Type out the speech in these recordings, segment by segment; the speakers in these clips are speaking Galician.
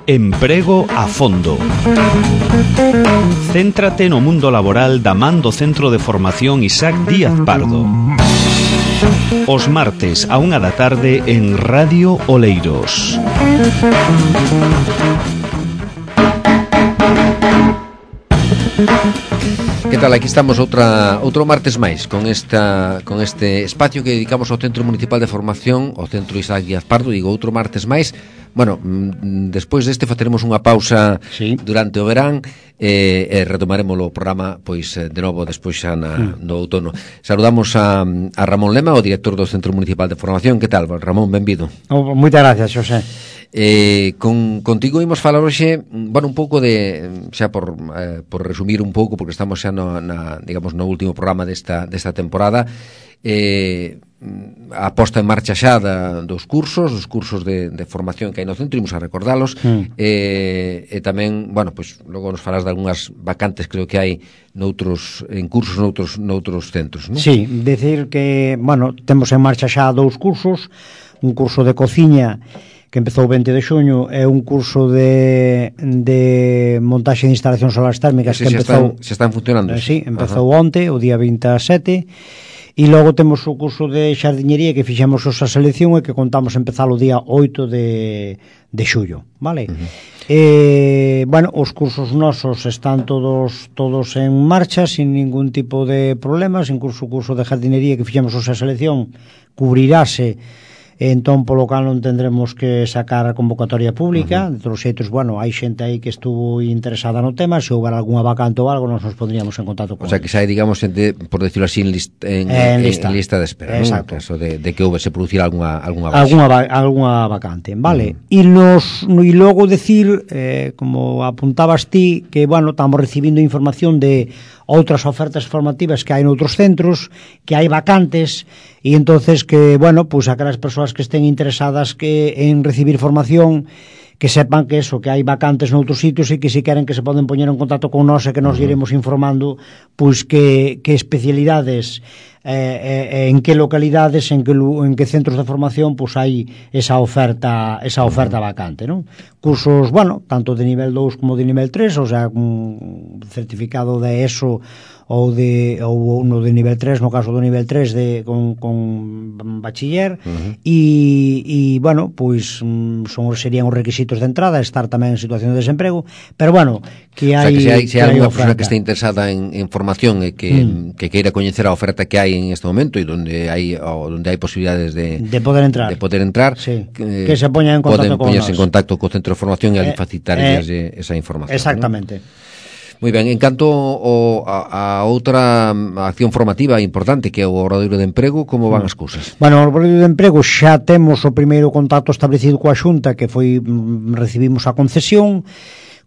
Emprego a fondo. Céntrate no mundo laboral da man do Centro de Formación Isaac Díaz Pardo. Os martes a 1 da tarde en Radio Oleiros. Que tal? Aquí estamos outro martes máis con este espacio que dedicamos ao Centro Municipal de Formación, ao Centro Isaac Díaz Pardo. Digo, outro martes máis. Bueno, despois deste faceremos unha pausa durante o verán e retomaremos o programa pois de novo despois xa no outono. Saludamos a Ramón Lema, o director do Centro Municipal de Formación. Que tal, Ramón? Benvido. Moitas gracias, Xosé. Contigo imos falar hoxe, bueno, un pouco de, xa por resumir un pouco, porque estamos xa digamos, no último programa desta temporada, a posta en marcha xa dos cursos de formación que hai no centro, imos a recordalos, e tamén, bueno, pois logo nos falas de algunhas vacantes, creo que hai en cursos noutros centros, non? Sí, decir que, bueno, temos en marcha xa 2 cursos, un curso de cociña que empezou o 20 de xuño, é un curso de montaxe de instalacións solares térmicas que empezou... Se están funcionando. Sí, empezou onte, o día 27, e logo temos o curso de xardiñería que fixemos esa selección e que contamos empezar o día 8 de xullo, vale? Bueno, os cursos nosos están todos en marcha, sin ningún tipo de problemas. Incluso o curso de jardinería que fixemos esa selección cubrirase, entón polo cal non tendremos que sacar a convocatoria pública. De todos os xeitos, bueno, hai xente aí que estuvo interesada no tema, se houber algunha vacante ou algo, nos poñeríamos en contacto con O sea, que xa hai, digamos, xente, por decirlo así, en lista de espera, non? Exacto. Caso de que se producira algunha vacante, vale? E logo decir, como apuntabas ti, que, bueno, estamos recibindo información de outras ofertas formativas que hai noutros centros, que hai vacantes, e entonces que, bueno, pues aquelas persoas que estén interesadas en recibir formación, que sepan que eso, que hai vacantes noutros sitios e que se queren que se poden poñer en contacto con nós e que nos iremos informando pois que especialidades en que localidades, en que centros de formación pois hai esa oferta vacante, non? Cursos, bueno, tanto de nivel 2 como de nivel 3, o sea, un certificado de ESO ou uno de nivel 3, no caso do nivel 3 con bachiller, e bueno, pois serían os requisitos de entrada, estar tamén en situación de desemprego, pero bueno, que hai... O sea, que se hai alguna persona que este interesada en formación e que queira coñecer a oferta que hai en este momento e onde hai posibilidades de poder entrar, sí, que se poñan en contacto con nós. Poden poñerse en contacto co centro de formación e ali facilitarles esa información. Exactamente, ¿no? Moi ben, en canto a outra acción formativa importante que é o Obradoiro de Emprego, como van as cousas? Bueno, o Obradoiro de Emprego xa temos o primeiro contacto establecido coa Xunta, que foi, recibimos a concesión.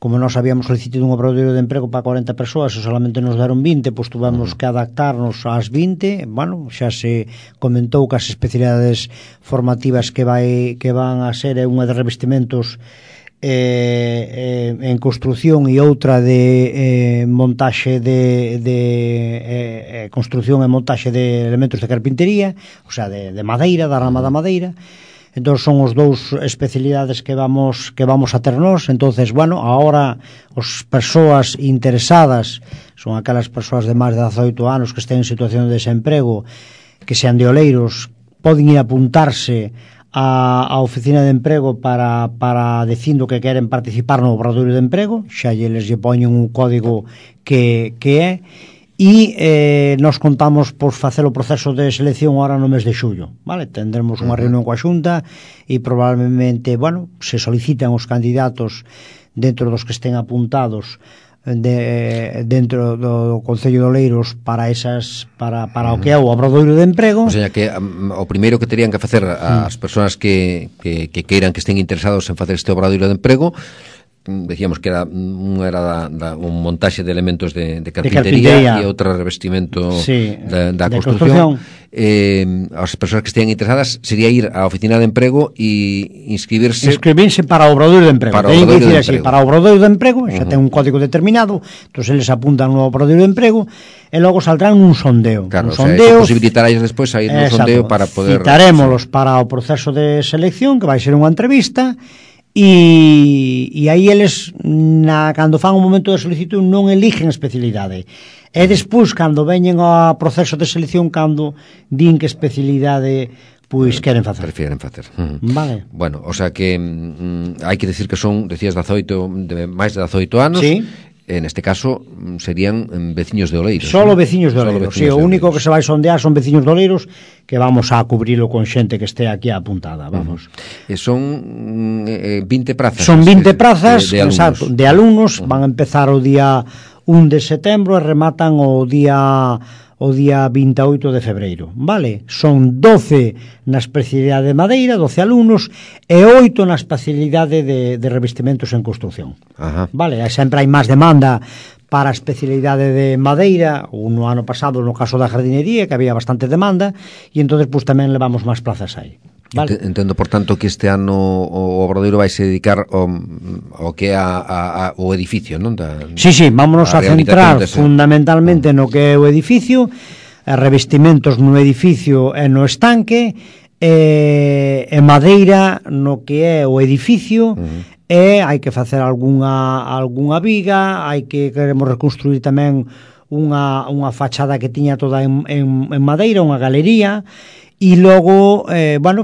Como nós habíamos solicitado un obradoiro de emprego para 40 persoas e solamente nos deron 20, pois tuvemos que adaptarnos ás 20. Bueno, xa se comentou que as especialidades formativas que van a ser unha de revestimentos en construción e outra de montaxe de construción e montaxe de elementos de carpintería, o sea, de madeira, da rama da madeira. Entón son os 2 especialidades que vamos a ter nós. Entonces, bueno, agora as persoas interesadas son aquelas persoas de máis de 18 anos que estén en situación de desemprego, que sean de Oleiros, poden ir a apuntarse a oficina de emprego para dicindo que queren participar no obradoiro de emprego. Xa lle poñen un código que é, e nos contamos por facer o proceso de selección ahora no mes de xullo, vale? Tendremos unha reunión coa Xunta e probablemente, bueno, se solicitan os candidatos dentro dos que estén apuntados dentro do Concello de Oleiros para o que é o obradoiro de emprego. O sea, que o primeiro que terían que facer as persoas que queiran, que estén interesados en facer este obradoiro de emprego, decíamos que era un montaxe de elementos de carpintería e outra revestimento da construción. As persoas que estén interesadas sería ir á oficina de emprego e inscribirse para o obradoiro de emprego. Para o obradoiro de emprego xa ten un código determinado, entón eles apuntan no obradoiro de emprego e logo saldrán un sondeo. Claro, o sea, eso posibilitará despois a ir no sondeo para poder... Citarémolos para o proceso de selección, que vai ser unha entrevista, e aí eles cando fan o momento de solicitud non eligen especialidade, e despois cando veñen ao proceso de selección cando din que especialidade pois queren facer. Prefieren facer. Vale. Bueno, o sea que hai que decir que son, decías, máis de 18 anos. Sí. En este caso serían veciños de Oleiros. Solo veciños de Oleiros. Sí, o único que se vai sondear son veciños de Oleiros, que vamos a cubrilo con xente que este aquí apuntada, vamos. Son 20 prazas. Son 20 prazas, de alumnos. Exacto, de alumnos, van a empezar o día 1 de setembro e rematan o día 28 de febreiro, vale? Son 12 na especialidade de madeira, 12 alumnos, e 8 na especialidade de revestimentos en construcción. Ajá. Vale, sempre hai máis demanda para a especialidade de madeira, ou no ano pasado no caso da jardinería, que había bastante demanda, e entonces pues, tamén levamos máis plazas aí. Vale. Entendo, por tanto, que este ano o Obradoiro vai se dedicar ao que é o edificio, non? Sí, vámonos a centrar fundamentalmente no que é o edificio, revestimentos no edificio e no estanque, e madeira no que é o edificio, e hai que facer algunha viga, queremos reconstruir tamén unha fachada que tiña toda en madeira, unha galería. E logo,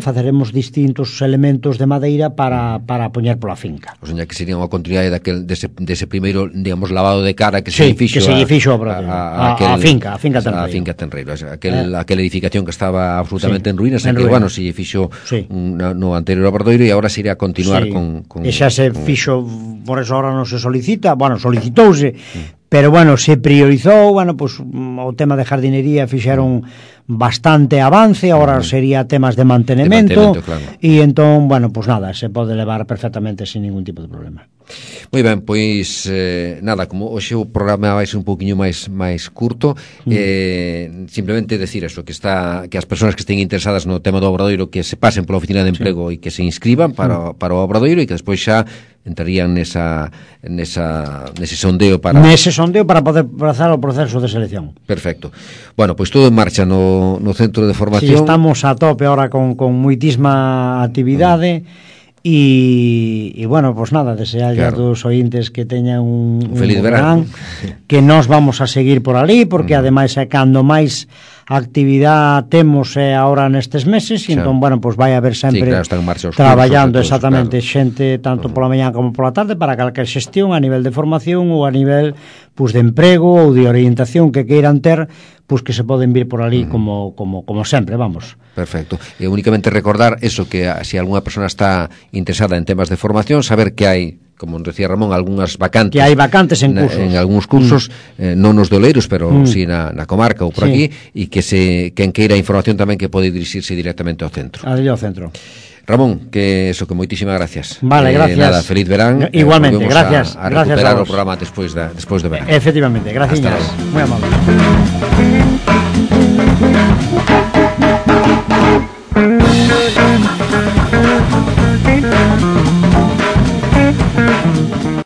faceremos distintos elementos de madeira para poñer pola finca. O sea, que sería unha continuidade dese primeiro, digamos, lavado de cara que se fixo a finca Tenreiro. A finca Tenreiro, aquela edificación que estaba absolutamente en ruínas, que, bueno, se fixo no anterior Obradoiro e agora se iría a continuar con... E xa se fixo, por eso agora non se solicita, solicitouse, pero, se priorizou, o tema de jardinería fixeron bastante avance, agora sería temas de mantenimento, claro. E entón, se pode levar perfectamente sin ningún tipo de problema. Moi ben, pois nada, como hoxe o programa vai ser un pouquiño máis curto, simplemente decir eso, que as persoas que estén interesadas no tema do Obradoiro que se pasen pola oficina de emprego e que se inscriban para o Obradoiro e que despois xa entrarían nese sondeo para poder pasar o proceso de selección. Perfecto. Bueno, pois todo en marcha no centro de formación. Sí, estamos a tope ahora con moitísima actividade. E desear a todos os ointes que teñan un feliz verán, que nos vamos a seguir por ali, porque ademais é cando máis actividade temos agora nestes meses, e entón, vai haber sempre traballando exactamente xente tanto pola mañá como pola tarde para calquer xestión a nivel de formación ou a nivel de emprego ou de orientación que queiran ter, que se poden vir por ali como sempre, vamos. Perfecto. E únicamente recordar eso, que se alguna persona está interesada en temas de formación, saber que hai, como decía Ramón, algunhas vacantes. Que hai vacantes en cursos. En algúns cursos, non nos de Oleiros, pero si na comarca ou por aquí, e que quen queira información tamén que pode dirixirse directamente ao centro. Ao centro. Ramón, que moitísimas gracias. Vale, gracias. Nada, feliz verán. Igualmente, gracias. A recuperar o programa despois do verán. Efectivamente, gracias. Moi amable.